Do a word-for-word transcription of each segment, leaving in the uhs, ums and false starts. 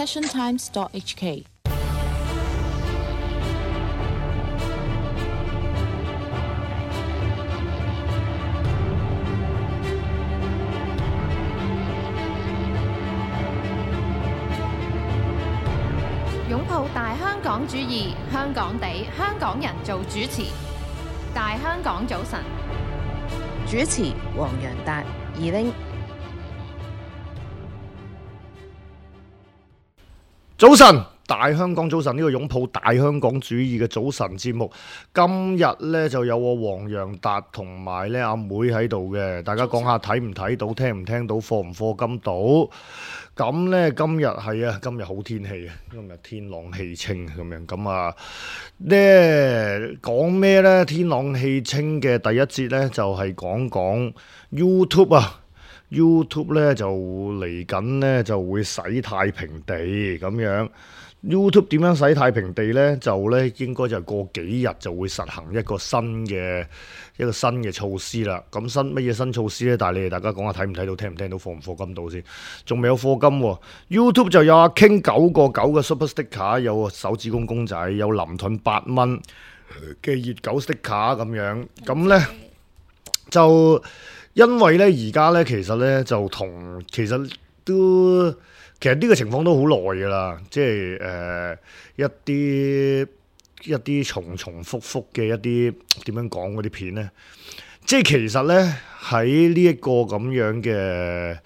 passion times dot h k。擁抱大香港主義，香港地，香港人做主持。大香港早晨，主持黃洋達、二拎。早晨，大香港早晨，呢個擁抱大香港主義嘅早晨節目，今日呢就有我黃洋達同埋呢阿妹喺度嘅，大家講下睇唔睇到，聽唔聽到，課唔課金到？咁呢今日係啊，今日好天氣啊，今日天朗氣清咁樣，咁啊呢講咩呢？天朗氣清嘅第一節呢，就係講講 YouTube 啊。YouTube 咧就嚟緊咧就會洗太平地咁樣。YouTube 點樣洗太平地咧？就咧應該就過幾日就會實行一個新嘅一個新嘅措施啦。咁新乜嘢新措施咧？但係你哋大家講下睇唔睇到，聽唔聽到，課唔課金到先？仲未有課金喎。YouTube 就有阿 King 九個九嘅 Super Sticker，有手指公公仔，有林盾八蚊嘅熱狗 Sticker 咁樣。咁咧就。因為咧而家咧其實咧就同其實都其實呢個情況都好耐噶啦，即係誒、呃、一啲一啲重重複複嘅一啲點樣講嗰啲片咧，即係其實咧喺呢一個咁樣嘅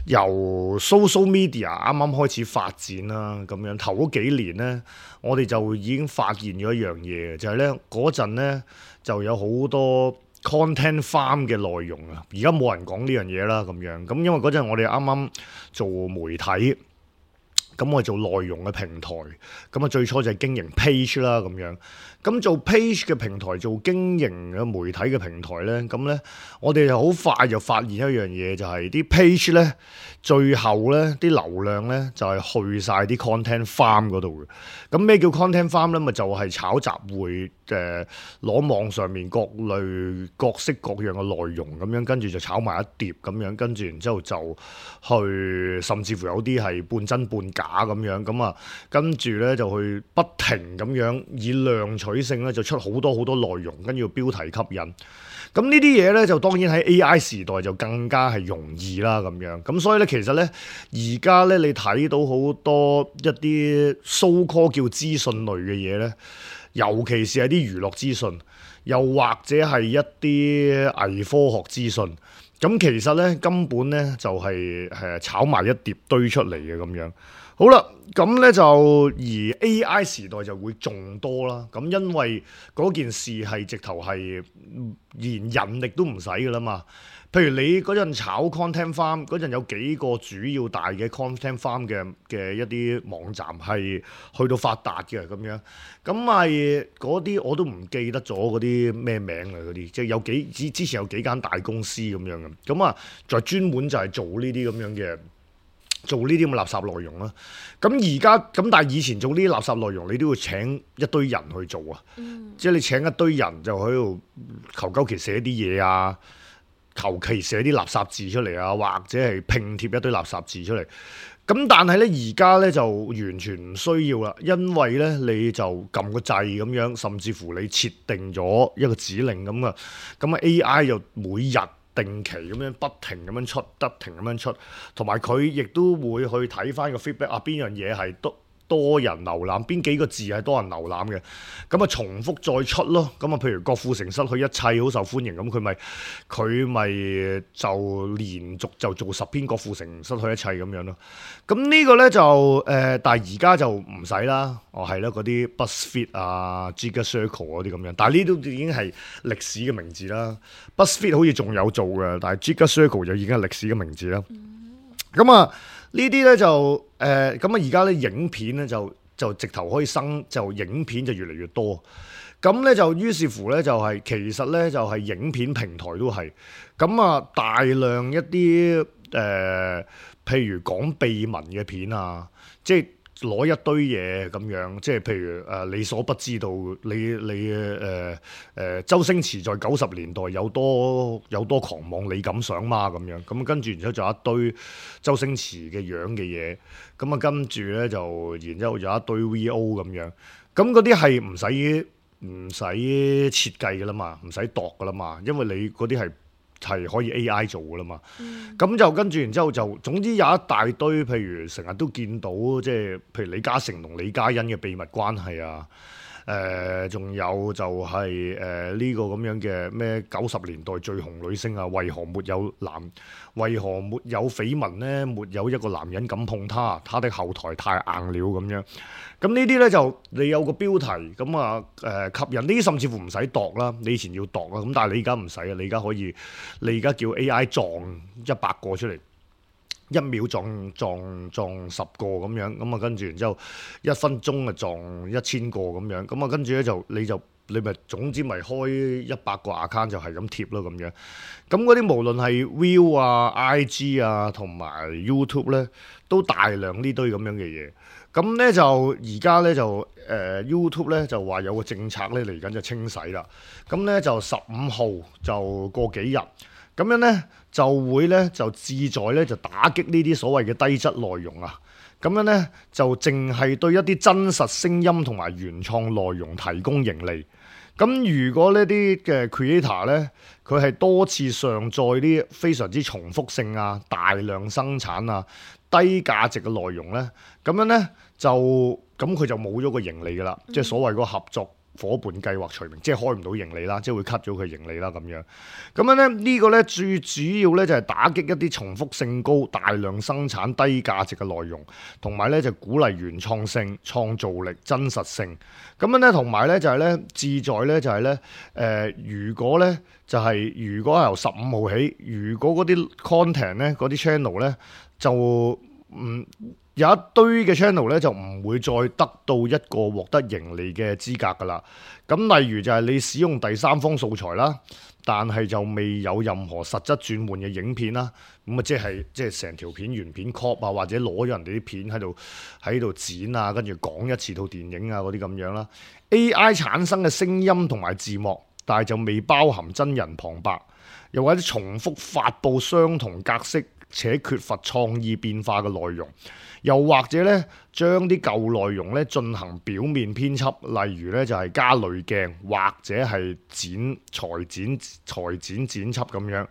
由 social media 啱啱開始發展啦，咁樣頭嗰幾年咧，我哋就已經發現咗一樣嘢，就係咧嗰陣咧就有好多content farm 嘅內容啊，而家冇人講呢樣嘢啦，咁樣咁，因為嗰陣我哋啱啱做媒體，咁我哋做內容嘅平台，咁啊最初就係經營 page 啦，咁樣，咁做 page 嘅平台，做經營嘅媒體嘅平台咧，咁咧我哋就好快就發現一樣嘢，就係啲 page 咧，最後咧啲流量咧就係去晒啲 content farm 嗰度嘅。咁咩叫 content farm 咧？咪就係炒集會誒，攞網上面各類各式各樣嘅內容咁樣，跟住就炒埋一碟咁樣，跟住然之後就去，甚至乎有啲係半真半假咁樣，咁啊跟住咧就去不停咁樣以量取勝咧，就出好多好多內容，跟住標題吸引。咁呢啲嘢咧就當然喺 A I 時代就更加係容易啦，咁樣。咁所以咧其實咧而家咧你睇到好多一啲 so call 叫資訊類嘅嘢咧，尤其是係啲娛樂資訊，又或者係一啲偽科學資訊。咁其實咧根本咧就係誒炒埋一碟堆出嚟嘅咁樣。好啦，咁咧就而 A I 時代就會仲多啦。咁因為嗰件事係直頭係連人力都唔使噶啦嘛。譬如你嗰陣炒 content farm 嗰陣有幾個主要大嘅 content farm 嘅嘅一啲網站係去到發達嘅咁樣。咁係嗰啲我都唔記得咗嗰啲咩名啊嗰啲，即係有幾之之前有幾間大公司咁樣嘅。咁啊，就專門就係做呢啲咁樣嘅。做呢啲咁嘅垃圾內容啦，咁而家咁但係以前做呢啲垃圾內容，你都要請一堆人去做啊，嗯、即係你請一堆人就喺度求鳩其寫啲嘢啊，求其寫啲垃圾字出嚟啊，或者係拼貼一堆垃圾字出嚟。咁但係咧而家咧就完全唔需要啦，因為咧你就撳個掣咁樣，甚至乎你設定咗一個指令咁啊，咁啊 A I 就每日定期咁樣不停咁樣出，不停咁樣出，同埋佢亦都會去睇翻個 feedback 啊，邊樣嘢係多多人瀏覽，邊幾個字係多人瀏覽嘅，咁啊重複再出咯。咁啊，譬如郭富城失去一切好受歡迎，咁佢咪佢咪就連續就做十篇郭富城失去一切咁樣咯。咁呢個咧就誒、呃，但係而家就唔使啦。哦，係啦，嗰啲 BuzzFeed 啊、Giga Circle 嗰啲咁樣，但係呢都已經係歷史嘅名字啦。BuzzFeed 好似仲有做嘅，但係 Giga Circle 就已經係歷史嘅名字啦。咁啊、嗯，呢啲咧就誒，咁啊而家咧影片咧就就直頭可以生，就影片就越嚟越多。咁咧就於是乎咧就係、是、其實咧就係、是、影片平台都係咁啊，大量一啲誒、呃，譬如講秘聞嘅片啊，即係。攞一堆嘢咁樣，即係譬如誒、呃、你所不知道，你你誒誒周星馳在九十年代有多有多狂妄，你敢想嗎？咁樣咁跟住，然之後就有一堆周星馳嘅樣嘅嘢，咁啊跟住咧就，然之後有一堆 V O 咁樣，咁嗰啲係唔使唔使設計噶啦嘛，唔使度噶啦嘛，因為你嗰啲係。係可以 A I 做噶啦嘛，咁、嗯、就跟住然之後就總之有一大堆，譬如成日都見到即係譬如李嘉誠同李嘉欣嘅秘密關係啊，誒、呃、仲有就係誒呢個咁樣嘅咩九十年代最紅女星啊，為何沒有男為何沒有緋聞呢？沒有一個男人敢碰她，她的後台太硬了咁樣。咁呢啲咧就你有個標題咁啊誒吸引呢啲，甚至乎唔使度啦，你以前要度啊，咁但係你而家唔使啊，你而家可以，你而家叫 A I 撞一百個出嚟，一秒撞撞撞十個咁樣，咁啊跟住然之後一分鐘啊撞一千個咁樣，咁啊跟住咧就你就你咪總之咪開一百個 account 就係咁貼咯咁樣，咁嗰啲無論係 View 啊、I G 啊同埋 YouTube 咧，都大量呢堆咁樣嘅嘢。咁咧就而家咧就誒、呃、YouTube 咧就話有個政策咧嚟緊就清洗啦。咁咧就十五號就過幾日，咁樣咧就會咧就志在咧就打擊呢啲所謂嘅低質內容啊。咁樣咧就淨係對一啲真實聲音同埋原創內容提供盈利。咁如果呢啲嘅 creator 咧，佢係多次上載啲非常之重複性啊、大量生產啊、低價值嘅內容咧，咁樣咧就咁佢就冇咗個盈利噶啦，嗯、即係所謂嗰個合作伙伴計劃除名，即係開唔到盈利啦，即係會 cut 咗佢盈利啦咁樣。咁樣咧呢、呢個咧最主要咧就係打擊一啲重複性高、大量生產低價值嘅內容，同埋咧就鼓勵原創性、創造力、真實性。咁樣咧同埋咧就係咧志在咧就係咧誒，如果咧就係、是、如果由十五號起，如果嗰啲 content 咧嗰啲 channel 咧就唔。嗯有一堆嘅 channel 咧就唔會再得到一個獲得盈利嘅資格噶啦。咁例如就係你使用第三方素材啦，但係就未有任何實質轉換嘅影片啦。咁啊即係即係成條片原片 copy 啊，或者攞咗人哋啲片喺度喺度剪啊，跟住講一次套電影啊嗰啲咁樣啦。A I 產生嘅聲音同埋字幕，但係就未包含真人旁白，又或者重複發布相同格式且缺乏創意變化嘅內容。又或者咧，將啲舊內容咧進行表面編輯，例如咧就係加濾鏡，或者係剪裁剪裁剪剪輯咁樣。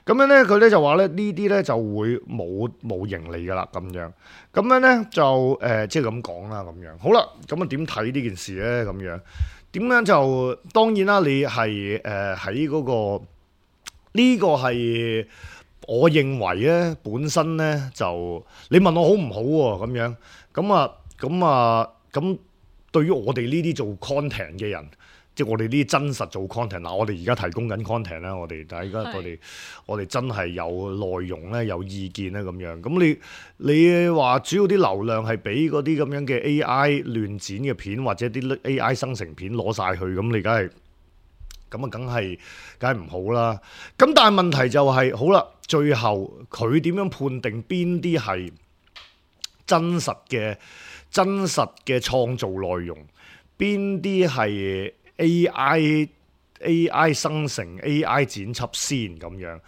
咁樣咧，佢咧就話咧呢啲咧就會冇冇盈利噶啦咁樣。咁樣咧就誒即係咁講啦咁樣。好啦，咁啊點睇呢件事咧咁樣？點樣就當然啦，你係誒喺嗰個呢個係。我認為咧，本身咧就你問我好唔好喎咁樣，咁啊咁啊咁，對於我哋呢啲做 content 嘅人，即係我哋呢啲真實做 content，嗱我哋而家提供緊 content 啦，我哋但係而家我哋我哋真係有內容咧，有意見咧咁樣，咁你你話主要啲流量係俾嗰啲咁樣嘅 A I 亂剪嘅片或者啲 A I 生成片攞晒去，咁你梗係。咁啊，梗係梗係唔好啦。咁但係問題就係、是，好啦，最後佢點樣判定邊啲係真實嘅真實嘅創造內容，邊啲係 A I A I 生成 A I 剪輯先咁樣？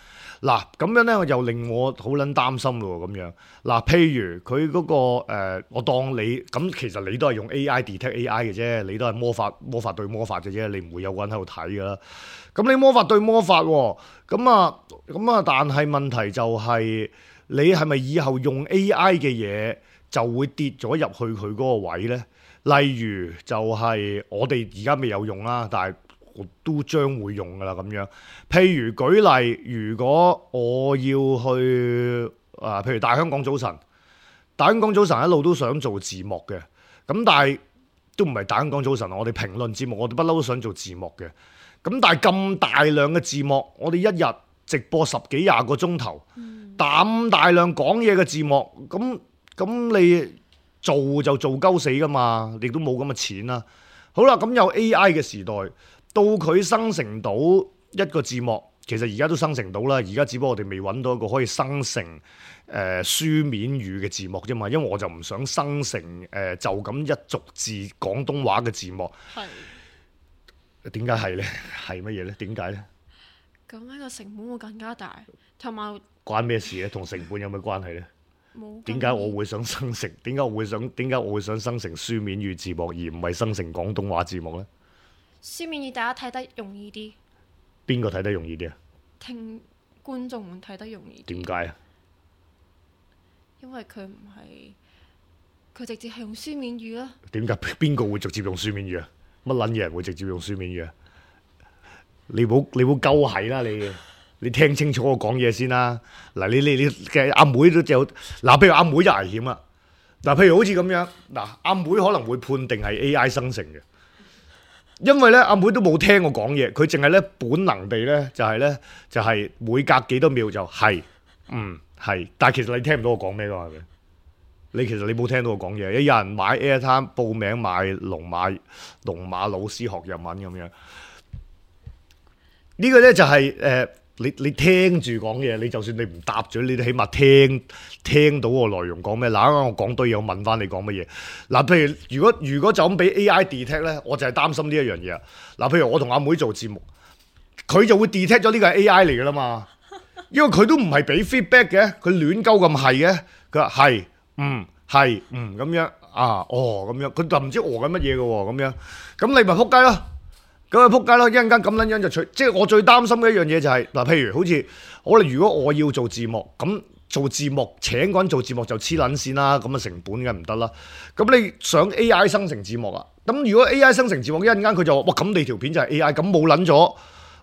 嗱，咁樣咧又令我好撚擔心咯咁樣。嗱，譬如佢嗰、那個、呃、我當你咁，其實你都係用 A I detect A I 嘅啫，你都係魔法魔法對魔法嘅啫，你唔會有個人喺度睇噶啦。咁你魔法對魔法喎，咁啊咁啊，但係問題就係、是、你係咪以後用 A I 嘅嘢就會跌咗入去佢嗰個位咧？例如就係我哋而家未有用啦，但係我都將會用噶啦咁樣。譬如舉例，如果我要去啊，譬如大香港早晨，大香港早晨一路都想做字幕嘅，咁但係都唔係大香港早晨，我哋評論節目，我哋不嬲都想做字幕嘅。咁但係咁大量嘅字幕，我哋一日直播十幾廿個鐘頭，咁大量講嘢嘅字幕，咁咁你做就做鳩死噶嘛，亦都冇咁嘅錢啦。好啦，咁有 A I 嘅時代。到佢生成到一個字幕，其實而家都生成到啦，而家只不過我哋未揾到一個可以生成誒、呃、書面語嘅字幕啫嘛，因為我就唔想生成誒、呃、就咁一逐字廣東話嘅字幕。係點解係咧？係乜嘢咧？點解咧？咁呢個成本會更加大，同埋關咩事咧？同成本有咩關係咧？冇。點解我會想生成？點解我會想？點解我會想生成書面語字幕，而唔係生成廣東話字幕咧？書面語大家睇得容易啲。邊個睇得容易啲啊？聽觀眾們睇得容易啲。點解啊？因為佢唔係佢直接係用書面語啦。點解邊個會直接用書面語啊？乜撚嘢人會直接用書面語啊？你冇你冇鳩係啦你，你聽清楚我講嘢先啦。嗱，你你你嘅阿妹都有嗱，譬如阿妹就危險啦。嗱，譬如好似咁樣，嗱，阿妹可能會判定係 A I 生成嘅。因為咧，阿妹都冇聽我講嘢，佢淨係咧本能地咧就係咧就係每隔幾多秒就係嗯係，但係其實你聽唔到我講咩噶嘛？係咪？你其實你冇聽到我講嘢，有人買 Airtime 報名買龍馬龍馬老師學日文咁樣，呢個咧就係誒你你聽住講嘢，你就算你唔答嘴，你都起碼聽聽到個內容講咩。嗱，啱啱我講堆嘢，我問翻你講乜嘢。嗱，譬如如果如果就咁俾 A I detect 咧，我就係擔心呢一樣嘢。嗱，譬如我同阿妹做節目，佢就會 detect 咗呢個係 A I 嚟噶啦嘛，因為佢都唔係俾 feedback 嘅，佢亂鳩咁係嘅，佢話係嗯係嗯咁樣啊哦咁樣，佢就唔知餓緊乜嘢嘅喎咁樣，咁你咪撲街咯。咁啊撲街咯！一陣間咁撚樣就除，即係我最擔心嘅一樣嘢就係、是、嗱，譬如好似我哋如果我要做字幕，咁做字幕請個人做字幕就黐撚線啦，咁啊成本梗唔得啦。咁你想 A I 生成字幕啊？咁如果 A I 生成字幕，一陣間佢就話哇，咁你條片就係 A I，咁冇撚咗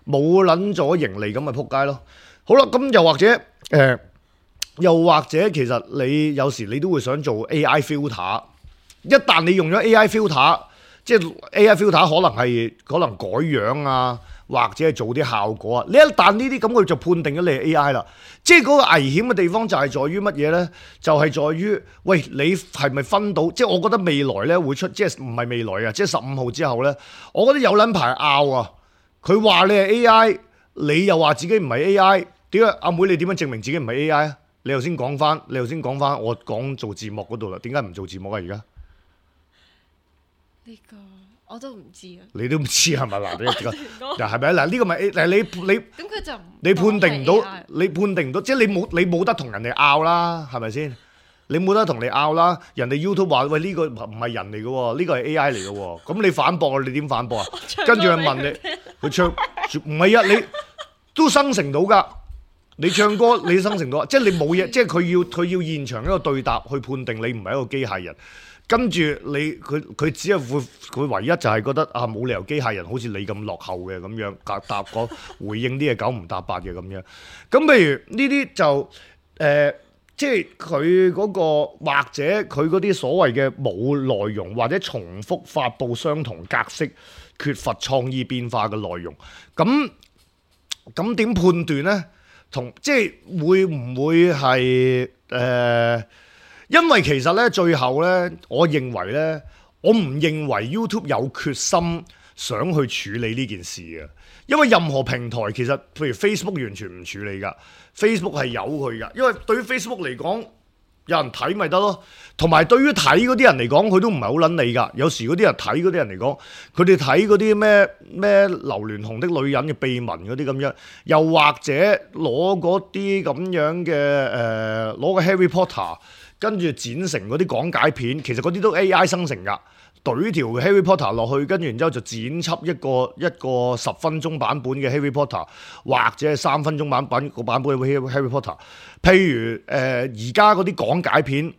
冇撚咗盈利，咁咪撲街咯。好啦，咁又或者誒、呃，又或者其實你有時你都會想做 A I filter， 一旦你用咗 A I filter。即係 A I filter 可能係可能改樣啊，或者係做啲效果啊。你一旦呢啲咁，佢就判定咗你係 A I 啦。即係嗰個危險嘅地方就係在於乜嘢呢？就係、是、在於，喂，你係咪分到？即係我覺得未來呢會出，即係唔係未來啊？即係十五號之後呢，我覺得有撚排拗啊！佢話你係 A I，你又話自己唔係 A I， 點解阿妹你點樣證明自己唔係 A I 啊？你頭先講翻，你頭先講翻，我講做字幕嗰度啦，點解唔做字幕啊？而家？呢個我都唔知啊！你都唔知係咪嗱？你嗱係咪嗱？呢個咪嗱你你咁佢就你判定唔到，你判定唔到，即係你冇你冇得同人哋拗啦，係咪先？你冇得同你拗啦！人哋 YouTube 話喂呢個唔係人嚟嘅喎，呢個係 A I 嚟嘅喎，咁你反駁啊？你點反駁啊？跟住佢問你，佢唱唔係啊？你都生成到㗎，你唱歌你生成到，即係你冇嘢，即係佢要佢要現場一個對答去判定你唔係一個機械人。跟住你佢佢只係會佢唯一就係覺得啊冇理由機械人好似你咁落後嘅咁樣答答個回應啲嘢九唔搭八嘅咁樣。咁譬如呢啲就誒、呃，即係佢嗰個或者佢嗰啲所謂嘅冇內容或者重複發布相同格式、缺乏創意變化嘅內容。咁咁點判斷呢？同即係會唔會係誒？呃因為其實咧，最後咧，我認為咧，我唔認為 YouTube 有決心想去處理呢件事嘅。因為任何平台其實，譬如 Facebook 完全唔處理㗎 ，Facebook 係有佢㗎。因為對於 Facebook 嚟講，有人睇咪得咯。同埋對於睇嗰啲人嚟講，佢都唔係好撚理㗎。有時嗰啲人睇嗰啲人嚟講，佢哋睇嗰啲咩咩劉鑾雄的女人嘅秘聞嗰啲咁樣，又或者攞嗰啲咁樣嘅誒攞個 Harry Potter。跟住剪成嗰啲講解片，其實嗰啲都 A I 生成㗎，懟條 Harry Potter 落去，跟住然之後就剪輯一個一個十分鐘版本嘅 Harry Potter，或者係三分鐘版本個版本嘅 Harry Potter。譬如誒而家嗰啲講解片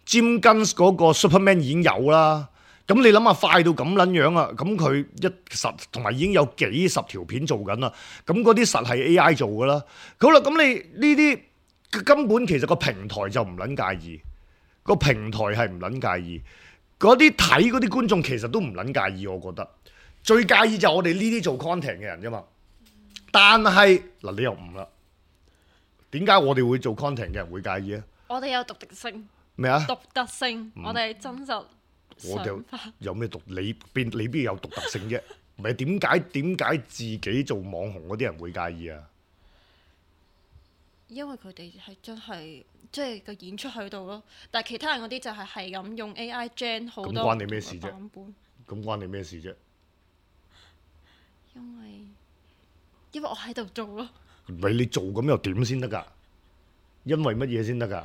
，Jim Guns 嗰個 Superman 已經有啦。咁你諗下快到咁撚樣啊？咁佢一實同埋已經有幾十條片做緊啦。咁嗰啲實係 A I 做㗎啦。好啦，咁你呢啲根本其實個平台就唔撚介意。個平台係唔撚介意，嗰啲睇嗰啲觀眾其實都唔撚介意，我覺得最介意就係我哋呢啲做 content 嘅人啫嘛。但係嗱，你又唔啦？點解我哋會做 content 嘅人會介意啊？我哋有獨特性咩啊？獨特性，嗯、我哋真實。我哋有有咩獨？你邊你邊有獨特性啫？唔係點解點解自己做網紅嗰啲人會介意啊？因為佢哋係真係即係個演出喺度咯，但係其他人嗰啲就係係咁用 A I gen 好多咁關你咩事啫？版本咁關你咩事啫？因為因為我喺度做咯。唔係你做咁又點先得㗎？因為乜嘢先得㗎？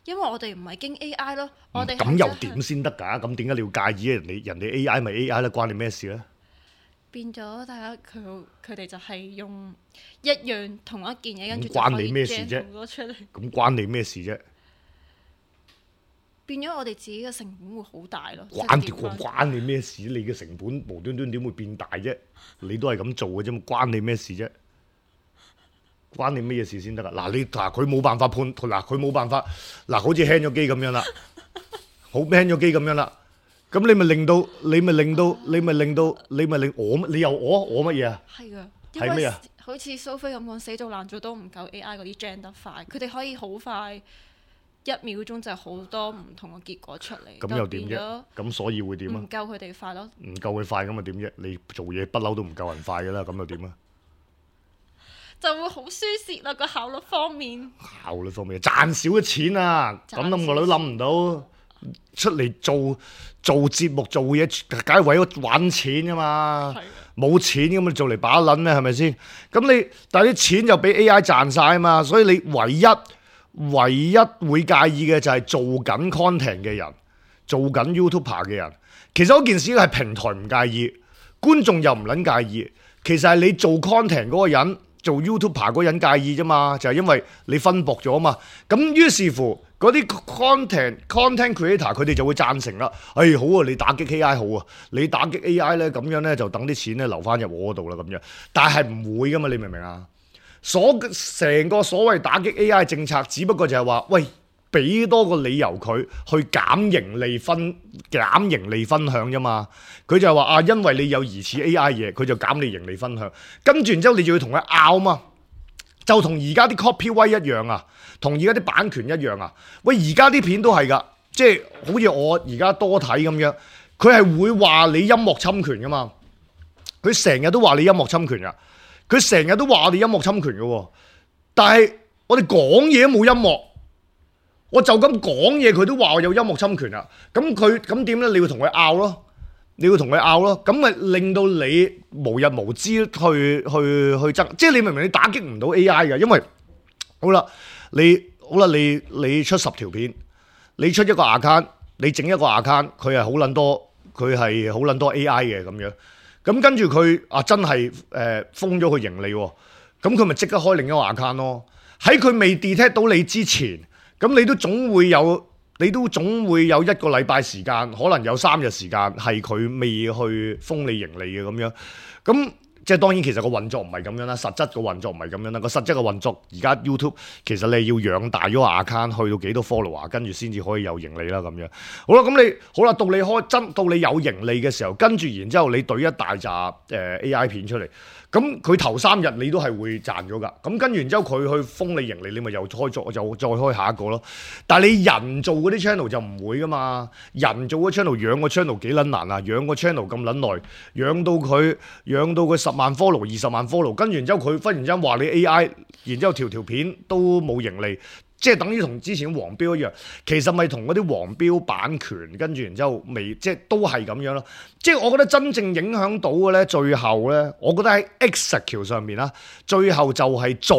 因為我哋唔係經 A I 咯，我哋咁又點先得㗎？咁點解你要介意啊？人哋人哋 A I 咪 A I 啦，關你咩事咧？變咗大家佢佢哋就係用一樣同一件嘢，跟住就關你咩事啫？攞出嚟。咁關你咩事啫？變咗我哋自己嘅成本會好大咯。關條關你咩事？你嘅成本無端端點會變大啫？你都係咁做嘅啫嘛，關你咩事啫？關你咩嘢事先得㗎？嗱，你嗱佢冇辦法判，嗱佢冇辦法，嗱好似 hang 咗機咁樣啦，好 hang 咗機咁樣啦，咁你咪令到，你咪令到，你咪令到，你咪令我，你又我我乜嘢啊？係㗎，係咩啊？好似蘇菲咁講，死做爛做都唔夠 A I 嗰啲 gen 得快，佢哋可以好快一秒鐘就好多唔同嘅結果出嚟。咁又點啫？咁所以會點啊？唔夠佢哋快咯。唔夠佢快咁啊點啫？你做嘢不嬲都唔夠人快㗎啦，咁又點啊？就會好輸蝕啦，個效率方面。效率方面賺少咗錢啊！咁諗我都諗唔到，出嚟做做節目做嘢，梗係為咗揾錢㗎嘛。冇錢咁啊，做嚟把撚咩？係咪先？咁你但係啲錢就俾 A I 賺晒啊嘛，所以你唯一唯一會介意嘅就係做緊 content 嘅人，做緊 YouTuber 嘅人。其實嗰件事係平台唔介意，觀眾又唔撚介意。其實係你做 content 嗰個人。做 YouTuber 嗰個人介意啫嘛，就係、是、因為你分薄咗啊嘛。咁於是乎嗰啲 content content creator 佢哋就會贊成啦。哎，好啊，你打擊 A I 好啊，你打擊 A I 咧咁樣咧就等啲錢咧流翻入我嗰度啦咁樣。但係唔會噶嘛，你明唔明啊？所成個所謂打擊 A I 政策，只不過就係話，喂，俾多個理由佢去減盈利分減盈利分享啫嘛。佢就係話啊，因為你有疑似 A I 嘢，佢就減你盈利分享。跟住然之後，你就要同佢拗嘛，就同而家啲 copyright 一樣啊，同而家啲版權一樣啊。喂，而家啲片都係㗎，即係好似我而家多睇咁樣，佢係會話你音樂侵權㗎嘛。佢成日都話你音樂侵權㗎，佢成日都話我哋音樂侵權嘅喎。但係我哋講嘢都冇音樂，我就咁講嘢，佢都話我有音樂侵權啊。咁佢咁點咧？你要同佢拗咯。你要同佢拗咯，咁咪令到你無日無之去去去爭，即係你明明你打擊唔到 A I 嘅，因為好啦，你好啦，你你出十條片，你出一個 account，你整一個 account，佢係好撚多，佢係好撚多 A I 嘅咁樣，咁跟住佢啊真係誒、呃、封咗佢盈利喎，咁佢咪即刻開另一個 account 咯。喺佢未 detect 到你之前，咁你都總會有。你都總會有一個禮拜時間，可能有三日時間係佢未去封你盈利嘅咁樣，咁即係當然其實個運作唔係咁樣啦，實質個運作唔係咁樣啦，個實質嘅運作而家 YouTube 其實你要養大咗個 account 去到幾多 follower， 跟住先至可以有盈利啦咁樣。好啦，咁你好啦，到你開真到你有盈利嘅時候，跟住然之後你懟一大紮誒 A I 片出嚟。咁佢頭三日你都係會賺咗㗎，咁跟住然之後佢去封你盈利，你咪又開作就再開下一個咯。但係你人做嗰啲 channel 就唔會㗎嘛，人做嗰 channel 養個 channel 幾撚難啊，養個 channel 咁撚耐，養到佢養到佢十萬 follow 二十萬 follow， 跟住然之後佢忽然之間話你 A I， 然之後條條片都冇盈利。即係等於同之前黃標一樣，其實咪同嗰啲黃標版權，跟住然之後未，即係都係咁樣咯。即係我覺得真正影響到嘅咧，最後咧，我覺得喺 execute 上面啦，最後就係做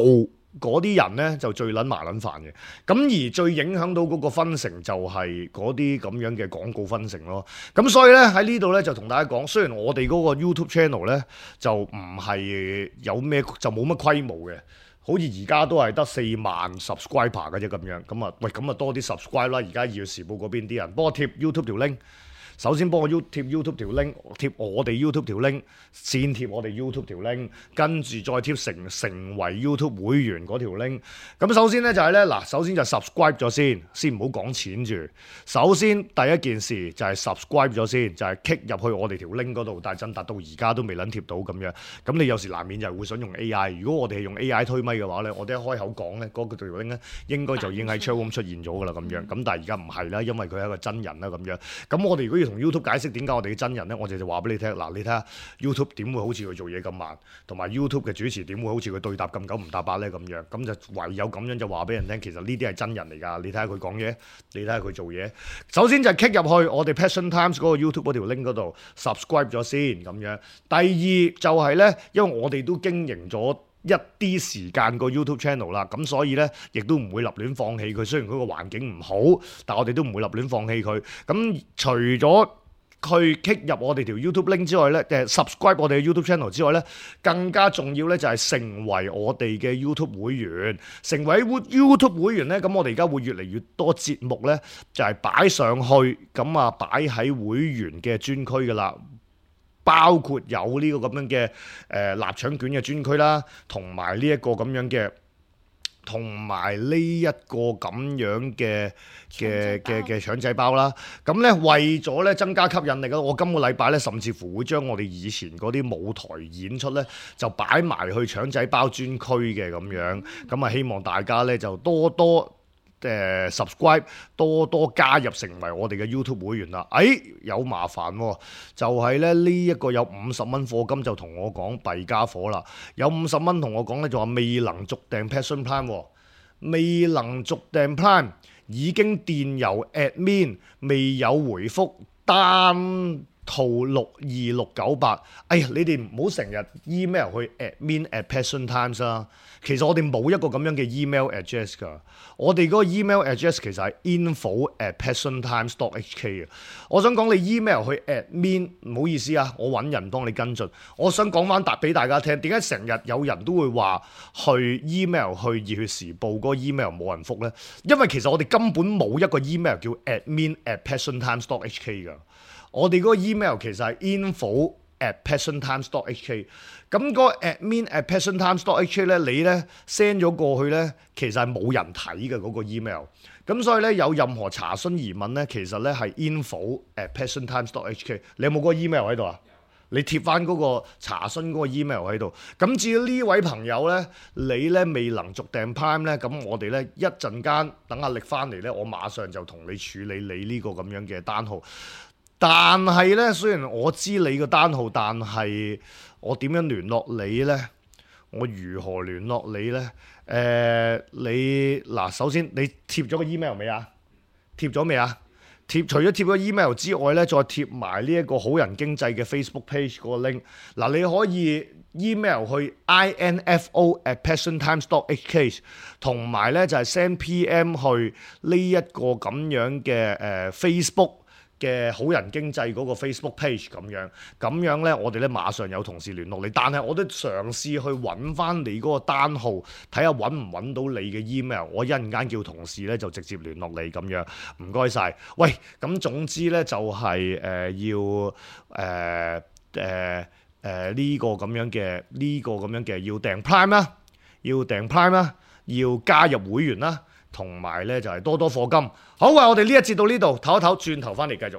嗰啲人咧就最撚麻撚煩嘅。咁而最影響到嗰個分成就係嗰啲咁樣嘅廣告分成咯。咁所以咧喺呢度咧就同大家講，雖然我哋嗰個 YouTube channel 咧就唔係有咩就冇乜規模嘅。好似而家都係得四萬 subscriber 嘅啫咁樣，咁啊喂，咁啊多啲 subscribe 啦！而家《二月時報》嗰邊啲人幫我貼 YouTube 條 link，首先幫我 YouTube 貼 YouTube 條 link， 貼我哋 YouTube 條 link， 先貼我哋 YouTube 條 link， 跟住再貼成成為 YouTube 會員嗰條 link。咁首先咧就係咧嗱，首先就 subscribe 咗先，先唔好講錢住。首先第一件事就係 subscribe 咗先，就係 kick 入去我哋條 link 嗰度，但係真達到而家都未撚貼到咁樣。咁你有時難免就係會想用 A I。如果我哋係用 A I 推咪嘅話咧，我哋一開口講咧，嗰、那個條 link 咧應該就已經喺 chat room 出現咗㗎啦咁樣。咁但係而家唔係啦，因為佢係一個真人啦咁樣。咁我哋如果要同同 YouTube 解釋點解我哋嘅真人咧，我哋就話俾你聽。嗱，你睇下 YouTube 點會好似佢做嘢咁慢，同埋 YouTube 嘅主持點會好似佢對答咁九唔搭八咧咁樣。咁就唯有咁樣就話俾人聽，其實呢啲係真人嚟㗎。你睇下佢講嘢，你睇下佢做嘢。首先就係 click 入去我哋 Passion Times 嗰個 YouTube 嗰條 link 嗰度 subscribe 咗先咁樣。第二就係咧，因為我哋都經營咗一啲時間個 YouTube channel 啦，咁所以咧亦都唔會立亂放棄佢。雖然佢個環境唔好，但我哋都唔會立亂放棄佢。咁除咗去 click 入我哋條 YouTube link 之外咧，誒 subscribe 我哋嘅 YouTube channel 之外咧，更加重要咧就係成為我哋嘅 YouTube 會員。成為 YouTube 會員咧，咁我哋而家會越嚟越多節目咧，就係擺上去，咁啊擺喺會員嘅專區噶啦。包括有呢個咁樣嘅誒臘腸卷嘅專區啦，同埋呢一個咁樣嘅，同埋呢一個咁樣嘅嘅嘅嘅腸仔包啦。咁咧為咗咧增加吸引力咧，我今個禮拜咧甚至乎會將我哋以前嗰啲舞台演出咧就擺埋去腸仔包專區嘅咁樣。咁啊希望大家咧就多多誒、呃、subscribe 多多加入成為我哋嘅 YouTube 會員啦。哎，有麻煩喎、哦，就係咧呢一個有五十蚊課金就同我講弊家伙啦。有五十蚊同我講咧就話未能續訂 Passion Prime、哦、未能續訂 Prime 已經電郵 admin 未有回覆單套六二六九八。哎呀，你哋唔好成日 email 去 admin at Passion Times 啦。其實我哋冇一個咁樣嘅 email address 㗎，我哋嗰個 email address 其實係 info at passiontimes dot h k 嘅。我想講你 email 去 admin， 唔好意思啊，我揾人幫你跟進。我想講翻答俾大家聽，點解成日有人都會話去 email 去熱血時報嗰個 email 冇人覆呢？因為其實我哋根本冇一個 email 叫 admin at passiontimes dot h k 㗎。我哋嗰個 email 其實係 info at passiontimes dot h k。咁嗰個 admin at passiontimes dot h k 咧，你咧 send 咗過去咧，其實係冇人睇嘅嗰個 email。咁所以咧有任何查詢疑問咧，其實咧係 info at passiontimes dot h k。你有冇嗰個 email 喺度啊？你貼翻嗰個查詢嗰個 email 喺度。咁至於呢位朋友咧，你咧未能續訂 Prime 咧，咁我哋咧一陣間等阿力翻嚟咧，我馬上就同你處理你呢個咁樣嘅單號。但係咧，雖然我知你個單號，但係我點樣聯絡你呢？我如何聯絡你呢？誒、呃，你嗱，首先你貼咗個 email 未啊？貼咗未啊？貼除咗貼咗 email 之外呢，再貼埋呢一個好人經濟嘅 Facebook page 嗰個 link。嗱，你可以 email 去 info at passiontimes dot h k， 同埋呢就係 send P M 去呢一個咁樣嘅誒、呃、Facebook嘅好人經濟嗰個 Facebook page 咁樣，咁樣咧，我哋咧馬上有同事聯絡你。但係我都嘗試去揾翻你嗰個單號，睇下揾唔揾到你嘅 email。我一陣間叫同事咧就直接聯絡你咁樣。唔該晒。喂，咁總之咧就係、是、誒、呃、要誒誒誒呢個咁樣嘅呢、這個咁樣嘅要訂 Prime 啦，要訂 Prime 啦，要加入會員啦。同埋咧就係多多課金。好啊，我哋呢一節到呢度，唞一唞，轉頭翻嚟繼續。